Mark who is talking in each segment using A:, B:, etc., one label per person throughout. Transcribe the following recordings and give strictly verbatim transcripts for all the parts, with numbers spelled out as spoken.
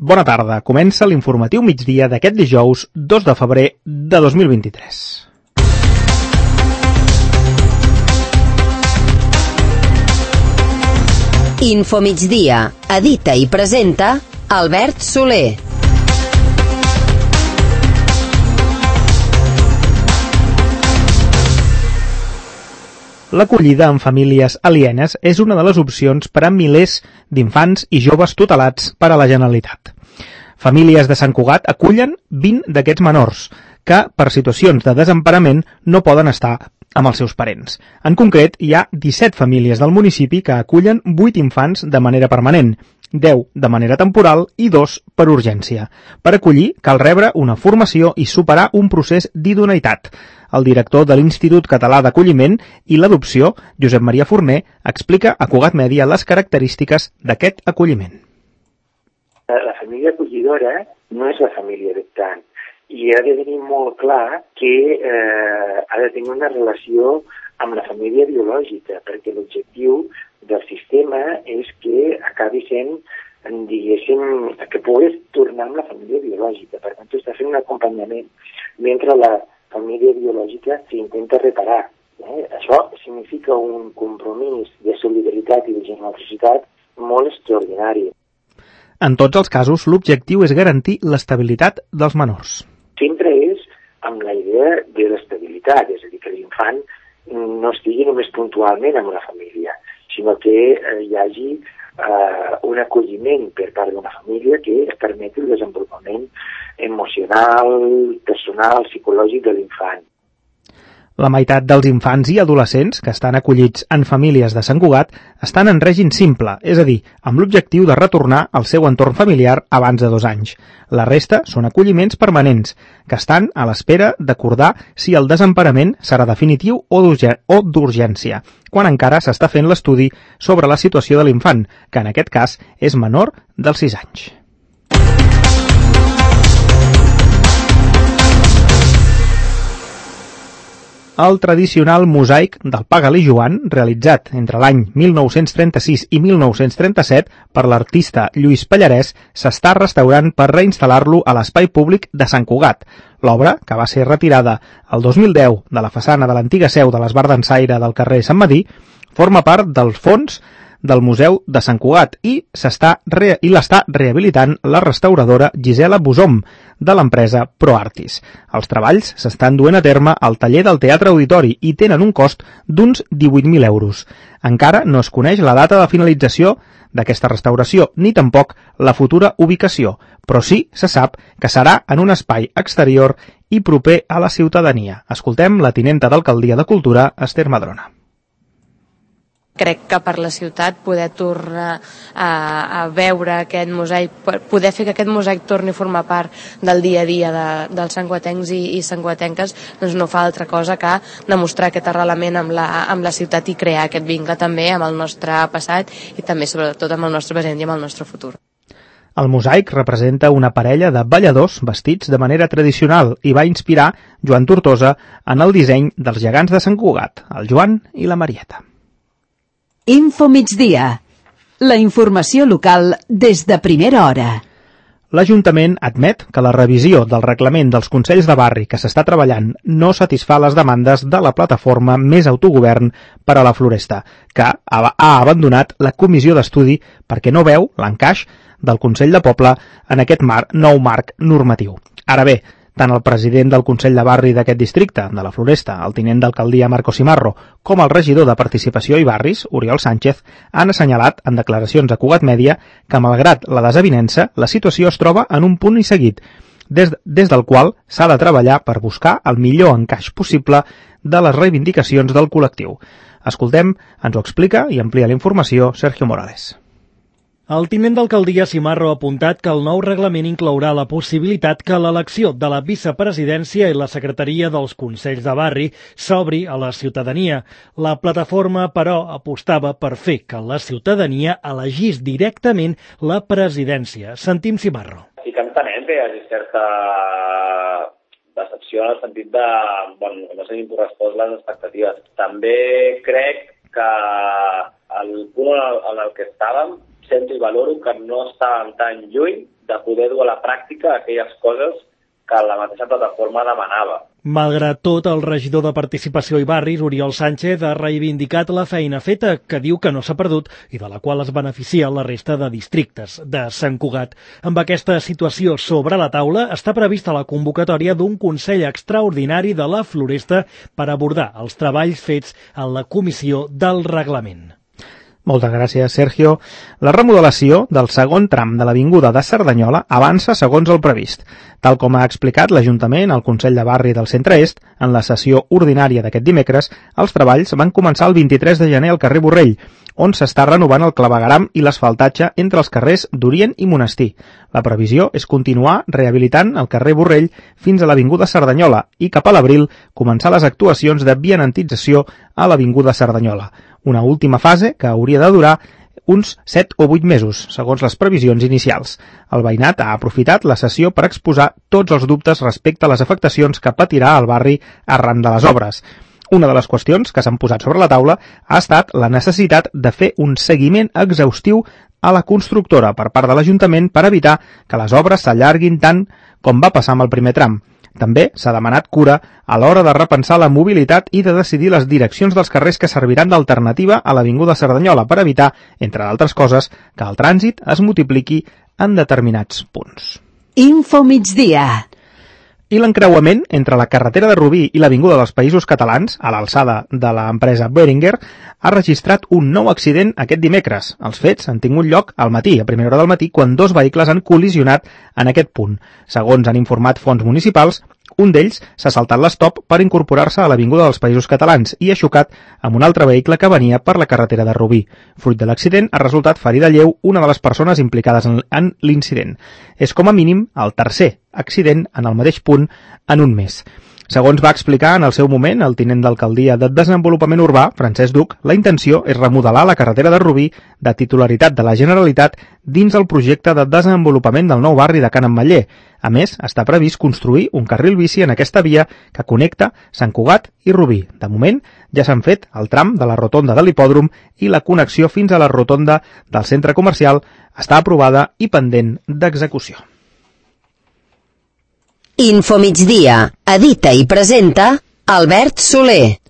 A: Bona tarda. Comença l'informatiu migdia d'aquest dijous dos de febrer de dos mil vint-i-tres.
B: Infomigdia. Edita i presenta Albert Soler.
A: L'acollida en famílies alienes és una de les opcions per a milers d'infants i joves tutelats per a la Generalitat. Famílies de Sant Cugat acullen vint d'aquests menors que, per situacions de desemparament, no poden estar amb els seus parents. En concret, hi ha disset famílies del municipi que acullen vuit infants de manera permanent, deu de manera temporal i dos per urgència. Per acollir cal rebre una formació i superar un procés d'idoneïtat. El director de l'Institut Català d'Acolliment i l'Adopció, Josep Maria Forner, explica a Cugat Mèdia les característiques d'aquest acolliment.
C: La família acollidora no és la família adoptant i ha de tenir molt clar que eh, ha de tenir una relació amb la família biològica, perquè l'objectiu del sistema és que acabi sent, diguéssim, que puguis tornar amb la família biològica. Per tant, tu estàs fent un acompanyament mentre la família biològica s'intenta reparar. Eh? Això significa un compromís de solidaritat i de generositat molt extraordinari.
A: En tots els casos, l'objectiu és garantir l'estabilitat dels menors.
C: Sempre és amb la idea de l'estabilitat, és a dir, que l'infant no estigui només puntualment amb una família, sinó que eh, hi hagi eh, un acolliment per part d'una família que permeti el desenvolupament emocional, personal, psicològic de l'infant.
A: La meitat dels infants i adolescents que estan acollits en famílies de Sant Cugat estan en règim simple, és a dir, amb l'objectiu de retornar al seu entorn familiar abans de dos anys. La resta són acolliments permanents, que estan a l'espera d'acordar si el desemparament serà definitiu o d'urgència, quan encara s'està fent l'estudi sobre la situació de l'infant, que en aquest cas és menor dels sis anys. El tradicional mosaic del Pagal i Joan, realitzat entre l'any mil nou-cents trenta-sis i mil nou-cents trenta-set per l'artista Lluís Pallarès, s'està restaurant per reinstal·lar-lo a l'espai públic de Sant Cugat. L'obra, que va ser retirada el dos mil deu de la façana de l'antiga seu de l'Esbar d'Ensaire del carrer Sant Medir, forma part del fons del Museu de Sant Cugat i s'està re... i l'està rehabilitant la restauradora Gisela Bosom, de l'empresa ProArtis. Els treballs s'estan duent a terme al taller del Teatre Auditori i tenen un cost d'uns divuit mil euros. Encara no es coneix la data de finalització d'aquesta restauració, ni tampoc la futura ubicació, però sí se sap que serà en un espai exterior i proper a la ciutadania. Escoltem la tinenta d'Alcaldia de Cultura, Esther Madrona.
D: Crec que per la ciutat poder tornar a, a veure aquest mosaic, poder fer que aquest mosaic torni a formar part del dia a dia de, dels santcuatencs i, i santcuatenques, doncs no fa altra cosa que demostrar aquest arrelament amb la, amb la ciutat i crear aquest vincle també amb el nostre passat i també sobretot amb el nostre present i amb el nostre futur.
A: El mosaic representa una parella de balladors vestits de manera tradicional i va inspirar Joan Tortosa en el disseny dels gegants de Sant Cugat, el Joan i la Marieta.
B: Infomigdia. La informació local des de primera hora.
A: L'Ajuntament admet que la revisió del reglament dels Consells de Barri que s'està treballant no satisfà les demandes de la plataforma Més Autogovern per a la Floresta, que ha abandonat la comissió d'estudi perquè no veu l'encaix del Consell de Poble en aquest mar, nou marc normatiu. Ara bé, tant el president del Consell de Barri d'aquest districte, de la Floresta, el tinent d'alcaldia Marco Simarro, com el regidor de Participació i Barris, Oriol Sánchez, han assenyalat en declaracions a Cugat Mèdia que, malgrat la desavinença, la situació es troba en un punt i seguit, des, des del qual s'ha de treballar per buscar el millor encaix possible de les reivindicacions del col·lectiu. Escoltem, ens ho explica i amplia la informació Sergio Morales.
E: El tinent d'alcaldia Simarro ha apuntat que el nou reglament inclourà la possibilitat que l'elecció de la vicepresidència i la secretaria dels Consells de Barri s'obri a la ciutadania. La plataforma, però, apostava per fer que la ciutadania elegís directament la presidència. Sentim Simarro.
F: Sí que entenem que hi hagi certa decepció en el sentit de bueno, que no s'hagin correspost les expectatives. També crec que el punt en el que estàvem sento i valoro que no estàvem tan lluny de poder dur a la pràctica aquelles coses que la mateixa plataforma demanava.
E: Malgrat tot, el regidor de Participació i Barris, Oriol Sánchez, ha reivindicat la feina feta, que diu que no s'ha perdut i de la qual es beneficia la resta de districtes de Sant Cugat. Amb aquesta situació sobre la taula, està prevista la convocatòria d'un Consell Extraordinari de la Floresta per abordar els treballs fets en la Comissió del Reglament.
A: Moltes gràcies, Sergio. La remodelació del segon tram de l'Avinguda de Cerdanyola avança segons el previst. Tal com ha explicat l'Ajuntament al Consell de Barri del Centre-Est, en la sessió ordinària d'aquest dimecres, els treballs van començar el vint-i-tres de gener al carrer Borrell, on s'està renovant el clavegueram i l'asfaltatge entre els carrers d'Orient i Monestir. La previsió és continuar rehabilitant el carrer Borrell fins a l'Avinguda Cerdanyola i cap a l'abril començar les actuacions de vianantització a l'Avinguda Cerdanyola. Una última fase que hauria de durar uns set o vuit mesos, segons les previsions inicials. El veïnat ha aprofitat la sessió per exposar tots els dubtes respecte a les afectacions que patirà el barri arran de les obres. Una de les qüestions que s'han posat sobre la taula ha estat la necessitat de fer un seguiment exhaustiu a la constructora per part de l'Ajuntament per evitar que les obres s'allarguin tant com va passar amb el primer tram. També s'ha demanat cura a l'hora de repensar la mobilitat i de decidir les direccions dels carrers que serviran d'alternativa a l'Avinguda Cerdanyola per evitar, entre d'altres coses, que el trànsit es multipliqui en determinats punts.
B: Info migdia.
A: I l'encreuament entre la carretera de Rubí i l'Avinguda dels Països Catalans, a l'alçada de l'empresa Beringer, ha registrat un nou accident aquest dimecres. Els fets han tingut lloc al matí, a primera hora del matí, quan dos vehicles han col·lisionat en aquest punt. Segons han informat fonts municipals, un d'ells s'ha saltat l'estop per incorporar-se a l'Avinguda dels Països Catalans i ha xocat amb un altre vehicle que venia per la carretera de Rubí. Fruit de l'accident ha resultat ferida lleu una de les persones implicades en, en l'incident. És com a mínim el tercer accident en el mateix punt en un mes. Segons va explicar en el seu moment el tinent d'alcaldia de Desenvolupament Urbà, Francesc Duc, la intenció és remodelar la carretera de Rubí de titularitat de la Generalitat dins el projecte de desenvolupament del nou barri de Can Ametller. A més, està previst construir un carril bici en aquesta via que connecta Sant Cugat i Rubí. De moment, ja s'han fet el tram de la rotonda de l'hipòdrom i la connexió fins a la rotonda del centre comercial està aprovada i pendent d'execució.
G: Info migdia. Edita i presenta Albert Soler.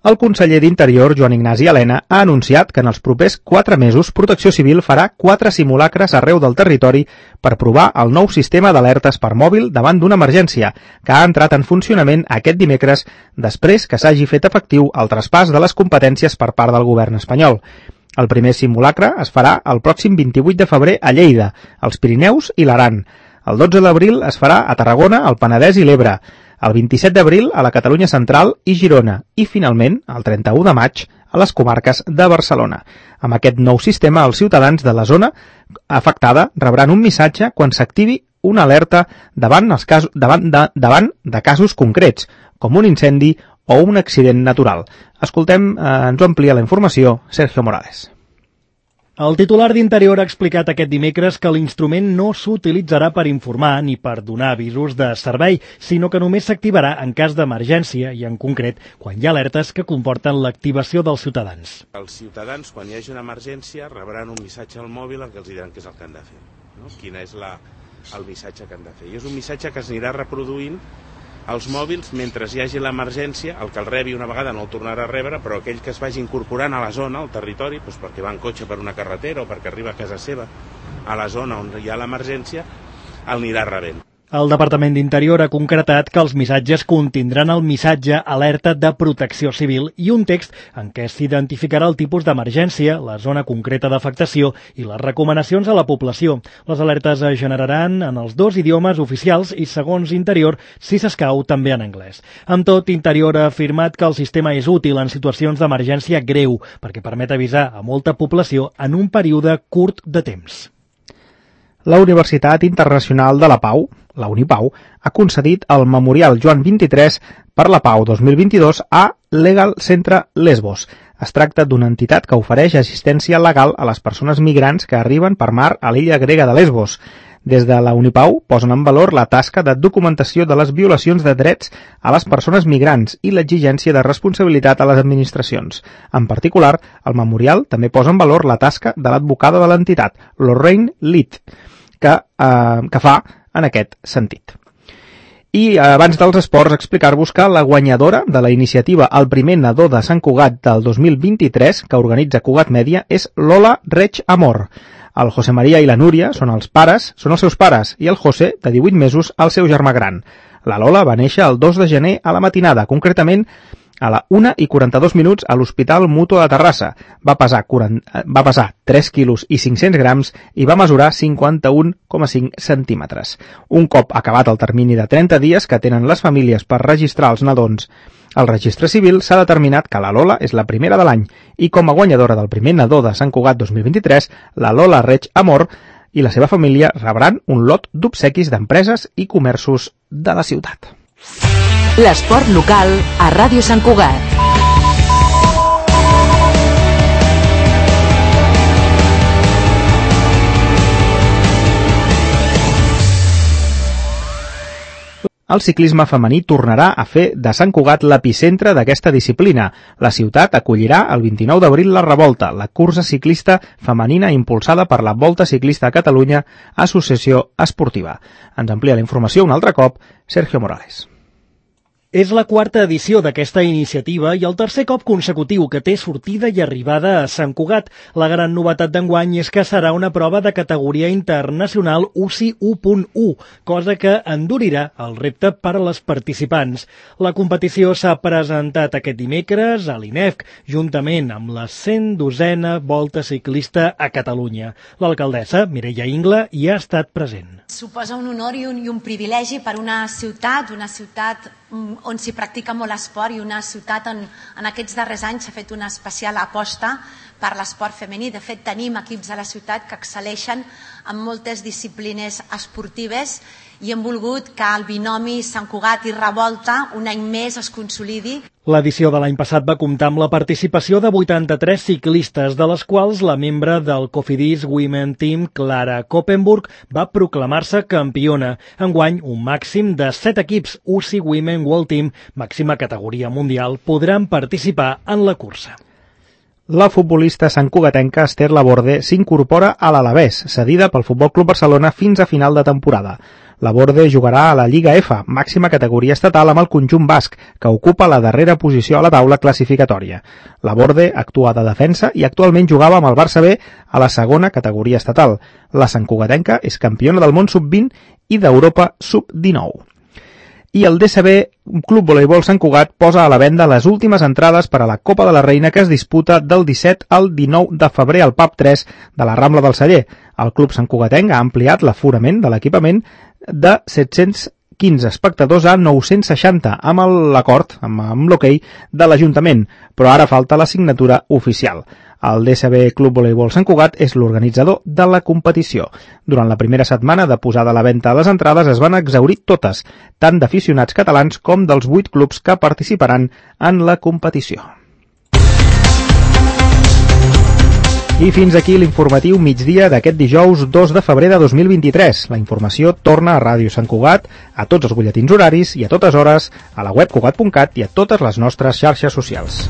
A: El conseller d'Interior, Joan Ignasi Elena, ha anunciat que en els propers quatre mesos Protecció Civil farà quatre simulacres arreu del territori per provar el nou sistema d'alertes per mòbil davant d'una emergència, que ha entrat en funcionament aquest dimecres després que s'hagi fet efectiu el traspàs de les competències per part del govern espanyol. El primer simulacre es farà el pròxim vint-i-vuit de febrer a Lleida, als Pirineus i l'Aran. El dotze d'abril es farà a Tarragona, al Penedès i l'Ebre, el vint-i-set d'abril a la Catalunya Central i Girona i, finalment, el trenta-u de maig a les comarques de Barcelona. Amb aquest nou sistema, els ciutadans de la zona afectada rebran un missatge quan s'activi una alerta davant, els casos, davant, de, davant de casos concrets, com un incendi o un accident natural. Escoltem, eh, ens ho amplia la informació, Sergio Morales.
E: El titular d'Interior ha explicat aquest dimecres que l'instrument no s'utilitzarà per informar ni per donar avisos de servei, sinó que només s'activarà en cas d'emergència i, en concret, quan hi ha alertes que comporten l'activació dels ciutadans.
H: Els ciutadans, quan hi hagi una emergència, rebran un missatge al mòbil en què els diran què és el que han de fer, no? Quin és la, el missatge que han de fer. I és un missatge que es anirà reproduint als mòbils mentre hi hagi l'emergència, el que el rebi una vegada no el tornarà a rebre, però aquell que es vagi incorporant a la zona, al territori, doncs perquè va en cotxe per una carretera o perquè arriba a casa seva, a la zona on hi ha l'emergència, el anirà rebent.
E: El Departament d'Interior ha concretat que els missatges contindran el missatge alerta de Protecció Civil i un text en què s'identificarà el tipus d'emergència, la zona concreta d'afectació i les recomanacions a la població. Les alertes es generaran en els dos idiomes oficials i, segons Interior, si s'escau, també en anglès. Amb tot, Interior ha afirmat que el sistema és útil en situacions d'emergència greu perquè permet avisar a molta població en un període curt de temps.
A: La Universitat Internacional de la Pau, la Unipau, ha concedit el Memorial Joan vint-i-tres per la Pau dos mil vint-i-dos a Legal Centre Lesbos. Es tracta d'una entitat que ofereix assistència legal a les persones migrants que arriben per mar a l'illa grega de Lesbos. Des de la Unipau posen en valor la tasca de documentació de les violacions de drets a les persones migrants i l'exigència de responsabilitat a les administracions. En particular, el memorial també posa en valor la tasca de l'advocada de l'entitat, Lorraine Litt, que, eh, que fa en aquest sentit. I abans dels esports, explicar-vos que la guanyadora de la iniciativa El primer nadó de Sant Cugat del dos mil vint-i-tres, que organitza Cugat Mèdia, és Lola Reig Amor. El José Maria i la Núria són els pares, són els seus pares, i el José, de divuit mesos, el seu germà gran. La Lola va néixer el dos de gener a la matinada, concretament a la una i quaranta-dos minuts a l'Hospital Mutu de Terrassa. Va pesar, quaranta, va pesar tres quilos i cinc-cents grams i va mesurar cinquanta-un coma cinc centímetres. Un cop acabat el termini de trenta dies que tenen les famílies per registrar els nadons al registre civil, s'ha determinat que la Lola és la primera de l'any i com a guanyadora del primer nadó de Sant Cugat dos mil vint-i-tres, la Lola Reig Amor i la seva família rebran un lot d'obsequis d'empreses i comerços de la ciutat.
B: L'esport local a Ràdio Sant Cugat.
A: El ciclisme femení tornarà a fer de Sant Cugat l'epicentre d'aquesta disciplina. La ciutat acollirà el vint-i-nou d'abril la Revolta, la cursa ciclista femenina impulsada per la Volta Ciclista a Catalunya, associació esportiva. Ens amplia la informació un altre cop, Sergio Morales.
E: És la quarta edició d'aquesta iniciativa i el tercer cop consecutiu que té sortida i arribada a Sant Cugat. La gran novetat d'enguany és que serà una prova de categoria internacional U C I u punt u, cosa que endurirà el repte per a les participants. La competició s'ha presentat aquest dimecres a l'I N E F, juntament amb la cent dosena Volta Ciclista a Catalunya. L'alcaldessa, Mireia Ingla, hi ha estat present.
I: Suposa un honor i un, i un privilegi per una ciutat, una ciutat on s'hi practica molt esport i una ciutat on en aquests darrers anys s'ha fet una especial aposta per l'esport femení. De fet, tenim equips a la ciutat que excel·leixen en moltes disciplines esportives i hem volgut que el binomi Sant Cugat i Revolta un any més es consolidi.
E: L'edició de l'any passat va comptar amb la participació de vuitanta-tres ciclistes, de les quals la membre del Cofidis Women Team, Clara Koppenburg, va proclamar-se campiona. Enguany, un màxim de set equips U C I Women World Team, màxima categoria mundial, podran participar en la cursa.
A: La futbolista santcugatenca Esther Laborde s'incorpora a l'Alavés, cedida pel Futbol Club Barcelona fins a final de temporada. Laborde jugarà a la Lliga F, màxima categoria estatal amb el conjunt basc, que ocupa la darrera posició a la taula classificatòria. Laborde actua de defensa i actualment jugava amb el Barça B a la segona categoria estatal. La santcugatenca és campiona del món sub vint i d'Europa sub dinou. I el D C B Club Voleibol Sant Cugat posa a la venda les últimes entrades per a la Copa de la Reina que es disputa del disset al dinou de febrer al Pub tres de la Rambla del Celler. El club santcugatenc ha ampliat l'aforament de l'equipament de set-cents quinze espectadors a nou-cents seixanta amb l'acord, amb, amb l'hoquei de l'Ajuntament, però ara falta la signatura oficial. El D C B Club Voleibol Sant Cugat és l'organitzador de la competició. Durant la primera setmana de posada a la venda a les entrades es van exhaurir totes, tant d'aficionats catalans com dels vuit clubs que participaran en la competició. I fins aquí l'informatiu migdia d'aquest dijous dos de febrer de dos mil vint-i-tres. La informació torna a Ràdio Sant Cugat, a tots els butlletins horaris i a totes hores, a la web cugat punt cat i a totes les nostres xarxes socials.